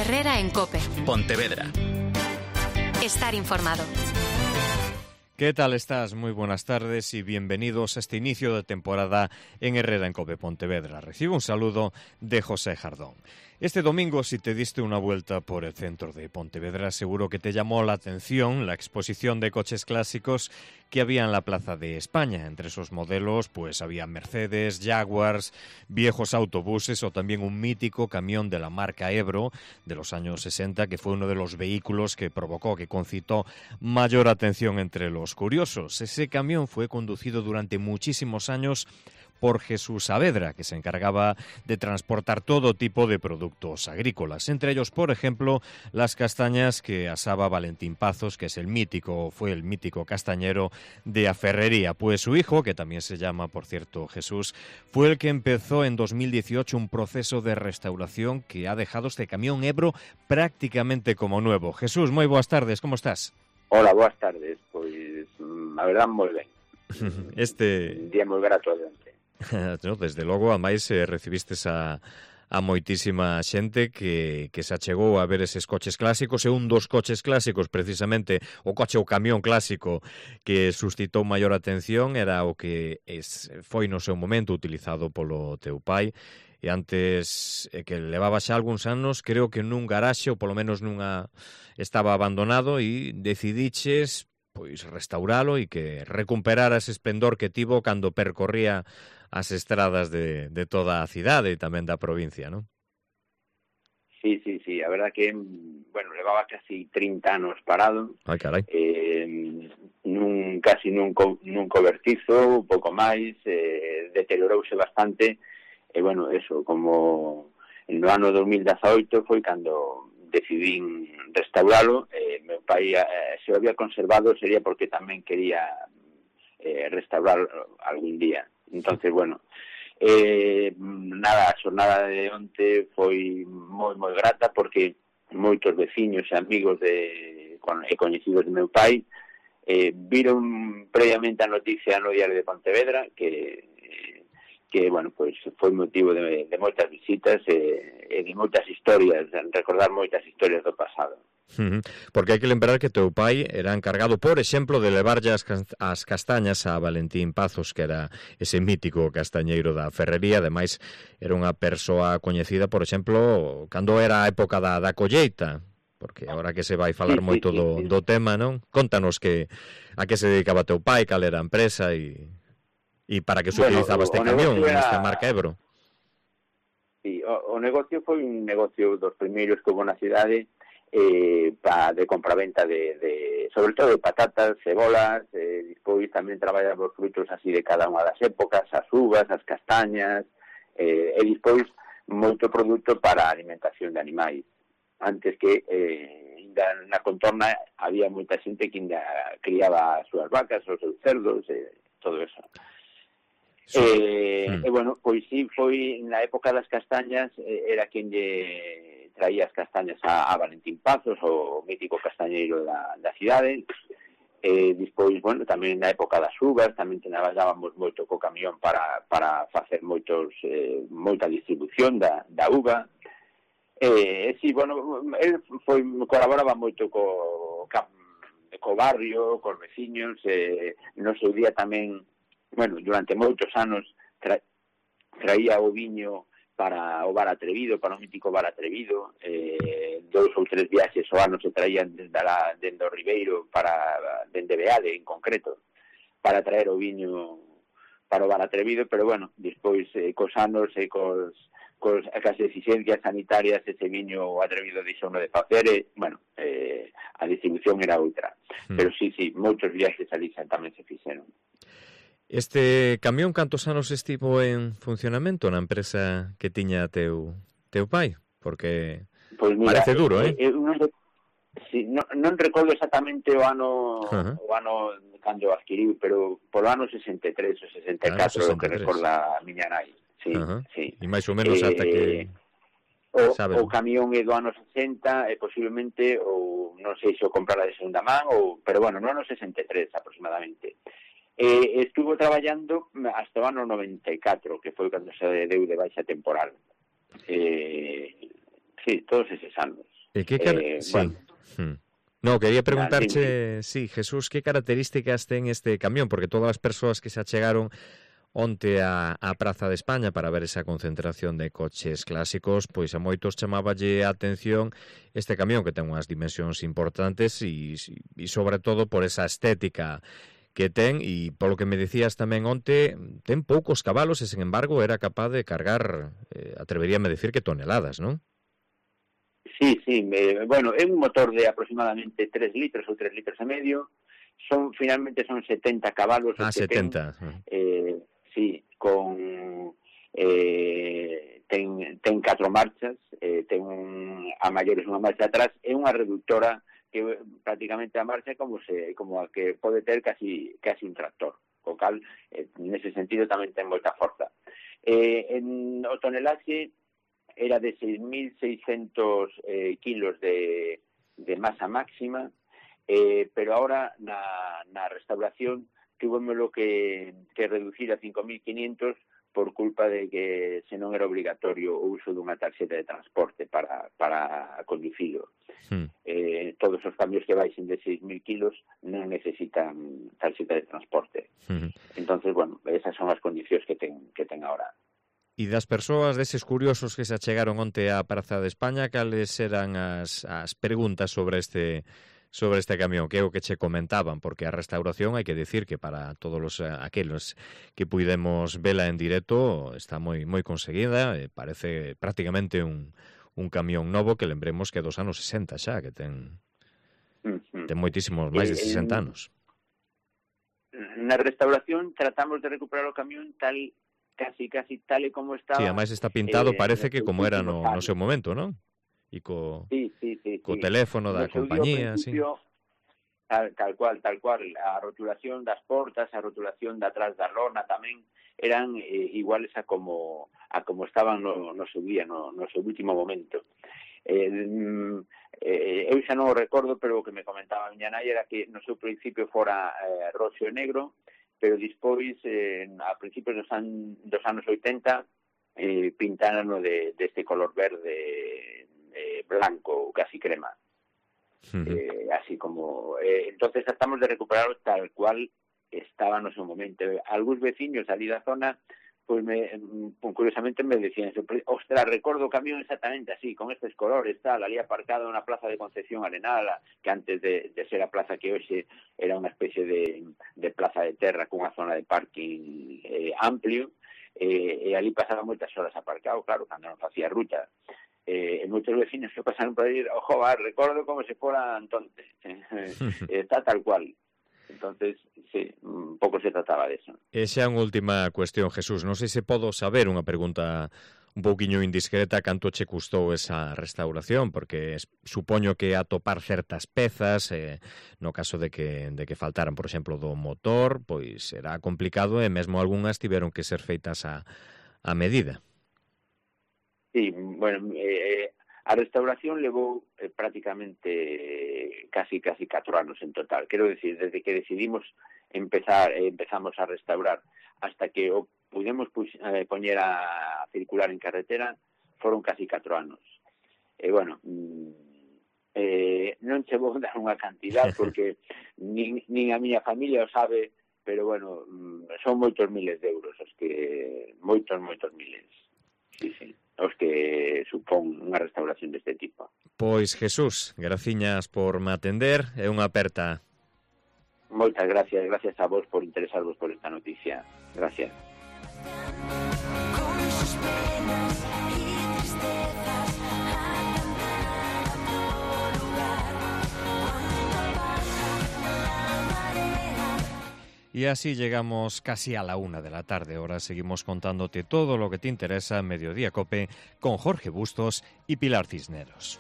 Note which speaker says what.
Speaker 1: Herrera en COPE.
Speaker 2: Pontevedra.
Speaker 1: Estar informado.
Speaker 3: ¿Qué tal estás? Muy buenas tardes y bienvenidos a este inicio de temporada en Herrera en COPE Pontevedra. Recibo un saludo de José Jardón. Este domingo, si te diste una vuelta por el centro de Pontevedra, seguro que te llamó la atención la exposición de coches clásicos que había en la Plaza de España. Entre esos modelos, pues había Mercedes, Jaguars, viejos autobuses o también un mítico camión de la marca Ebro de los años 60, que fue uno de los vehículos que provocó, que concitó mayor atención entre los curiosos. Ese camión fue conducido durante muchísimos años por Jesús Saavedra, que se encargaba de transportar todo tipo de productos agrícolas, entre ellos, por ejemplo, las castañas que asaba Valentín Pazos, que fue el mítico castañero de Aferrería. Pues su hijo, que también se llama, por cierto, Jesús, fue el que empezó en 2018 un proceso de restauración que ha dejado este camión Ebro prácticamente como nuevo. Jesús, moi boas tardes, como estás?
Speaker 4: Hola, boas tardes. Pois, a verdade, moi ben. Un día moi grato adiante.
Speaker 3: No, desde logo, a máis recibistes a moitísima xente que se achegou a ver eses coches clásicos, e un dos coches clásicos, precisamente, o camión clásico que suscitou maior atención era o que foi no seu momento utilizado polo teu pai, e antes que levaba xa algúns anos, creo que nun garaxe, ou polo menos estaba abandonado, e decidiches pois restauralo e que recuperara ese esplendor que tivo cando percorría as estradas de toda a cidade e tamén da provincia, non?
Speaker 4: Sí, a verdad que, bueno, levaba casi 30 anos parado.
Speaker 3: Ai, carai.
Speaker 4: Casi nun cobertizo, un pouco máis, deteriorouse bastante, e, bueno, eso, como no ano 2018 foi cando decidín restauralo. Meu pai, se o había conservado, sería porque tamén quería restaurar algún día. Entonces, bueno, a xornada de onte foi moi grata, porque moitos veciños e amigos e coñecidos de meu pai viron previamente a noticia no Diario de Pontevedra que bueno, pois foi motivo de moitas visitas e de moitas historias, recordar moitas historias do pasado.
Speaker 3: Porque hai que lembrar que teu pai era encargado, por exemplo, de levarlle as castañas a Valentín Pazos, que era ese mítico castañeiro da Ferrería. Ademais, era unha persoa coñecida, por exemplo, cando era a época da colleita, porque agora que se vai falar moito do tema, non? Contanos a que se dedicaba teu pai, cal era a empresa e para que se utilizaba este camión, esta marca Ebro.
Speaker 4: Sí, o negocio foi un negocio dos primeiros que houve na cidade, de compraventa de sobre todo de patatas, cebolas, despois tamén traballaba os frutos así de cada unha das épocas, as uvas, as castañas, e despois moito produto para a alimentación de animais. Antes que na contorna había moita xente que criaba as súas vacas, os seus cerdos, todo eso. E bueno, pois sí, foi na época das castañas, era quen lle traía as castañas a Valentín Pazos, o mítico castañeiro da cidade. Despois, bueno, tamén na época das uvas, tamén traballábamos moito co camión para facer moita distribución da uva. Sí, bueno, el colaboraba moito co barrio, cos veciños, no seu día tamén, bueno, durante moitos anos traía o viño para o Bar Atrevido, para o mítico Bar Atrevido. 2 ou 3 viaxes ao ano se traían dende o Ribeiro, dende Beade en concreto, para traer o viño para o Bar Atrevido, pero bueno, despois cos anos e cas exigencias sanitarias, ese viño Atrevido deixou de facer, bueno, a distribución era outra. Pero sí, moitos viaxes ali tamén se fixeron.
Speaker 3: Este camión, cantos anos estivo en funcionamento na empresa que tiña teu pai? Porque pues mira, parece duro,
Speaker 4: non recordo exactamente o ano cando adquiriu, pero polo ano 63 ou 64, o que recorda a miña nai. Sí.
Speaker 3: E máis ou menos ata que
Speaker 4: o camión é do ano 60, e posiblemente, ou non sei se o comprara de segunda man, pero bueno, no ano 63 aproximadamente. Estuvo traballando hasta o ano 94, que foi cando se deu de baixa temporal. Sí, todos eses anos.
Speaker 3: Sí.
Speaker 4: Bueno,
Speaker 3: No, quería preguntarche, sí, Jesús, que características ten este camión, porque todas as persoas que se achegaron onte a Praza de España para ver esa concentración de coches clásicos, pois a moitos chamáballe a atención este camión que ten unhas dimensións importantes e sobre todo por esa estética que ten, e polo que me decías tamén onte, ten poucos cabalos e, sen embargo, era capaz de cargar, atreveríame a decir que toneladas, non?
Speaker 4: Sí, bueno, é un motor de aproximadamente 3 litros ou 3 litros e medio, finalmente son 70 cabalos.
Speaker 3: 70.
Speaker 4: Sí, con ten 4 marchas, ten a maiores unha marcha atrás e unha reductora que prácticamente a marcha como a que pode ter casi un tractor, co cal nese sentido tamén ten moita forza. O tonelaxe era de 6.600 kilos de masa máxima, pero ahora na restauración tuvemoslo que reducir a 5.500 por culpa de que se non era obrigatorio o uso dunha tarxeta de transporte para conducilo. Todos os cambios que baixen de 6.000 kilos non necesitan tarxeta de transporte. Entonces, bueno, esas son as condicións que ten ahora.
Speaker 3: E das persoas, deses curiosos que se achegaron onte á Praza de España, cales eran as preguntas sobre este camión, que é o que che comentaban, porque a restauración hai que decir que para todos aqueles que puidemos vela en directo está moi conseguida, parece prácticamente un camión novo que lembremos que é dos anos 60 xa, que ten moitísimos máis de 60 anos.
Speaker 4: Na restauración tratamos de recuperar o camión casi tal e como estaba.
Speaker 3: Sí, ademais está pintado, parece que como era no seu momento, non? E co teléfono da compañía, sí.
Speaker 4: Tal cual. A rotulación das portas, a rotulación de atrás da lona tamén eran iguales a como estaban no seu día, no seu último momento. Eu xa non o recordo, pero o que me comentaba a miña nai era que no seu principio fora roxo e negro, pero despois, a principios dos anos 80, pintaron deste color verde blanco, casi crema. Así como... entonces tratamos de recuperarlo tal cual estaba no seu momento. Algúns veciños ali da zona, pois curiosamente me decían, ostras, recordo o camión exactamente así, con estes colores, tal, ali aparcado na plaza de Concepción Arenal, que antes de ser a plaza que hoxe era unha especie de plaza de terra cunha zona de parking amplio, e ali pasaba moitas horas aparcado, claro, cando non facía ruta. E moitos vecinos que pasaron por aí, ojo, recordo como se fora entonces, está tal cual. Entonces, sí, un pouco se trataba de eso.
Speaker 3: E xa unha última cuestión, Jesús, non sei se podo saber unha pregunta un pouquiño indiscreta, canto che custou esa restauración, porque supoño que atopar certas pezas, no caso de que faltaran, por exemplo, do motor, pois era complicado e mesmo algunhas tiveron que ser feitas a medida.
Speaker 4: Sí, bueno, a restauración levou prácticamente casi 4 anos en total. Quero decir, desde que decidimos empezamos a restaurar hasta que o pudemos poñer a circular en carretera, foron casi 4 anos. E, bueno, non che vou dar unha cantidad porque nin a miña familia o sabe, pero, bueno, son moitos miles de euros, os que moitos miles. Sí. Os que supón unha restauración deste tipo.
Speaker 3: Pois, Jesús, graciñas por me atender, é unha aperta.
Speaker 4: Moitas gracias a vos por interesarvos por esta noticia. Gracias.
Speaker 3: Y así llegamos casi a la 1 de la tarde. Ahora seguimos contándote todo lo que te interesa en Mediodía Cope con Jorge Bustos y Pilar Cisneros.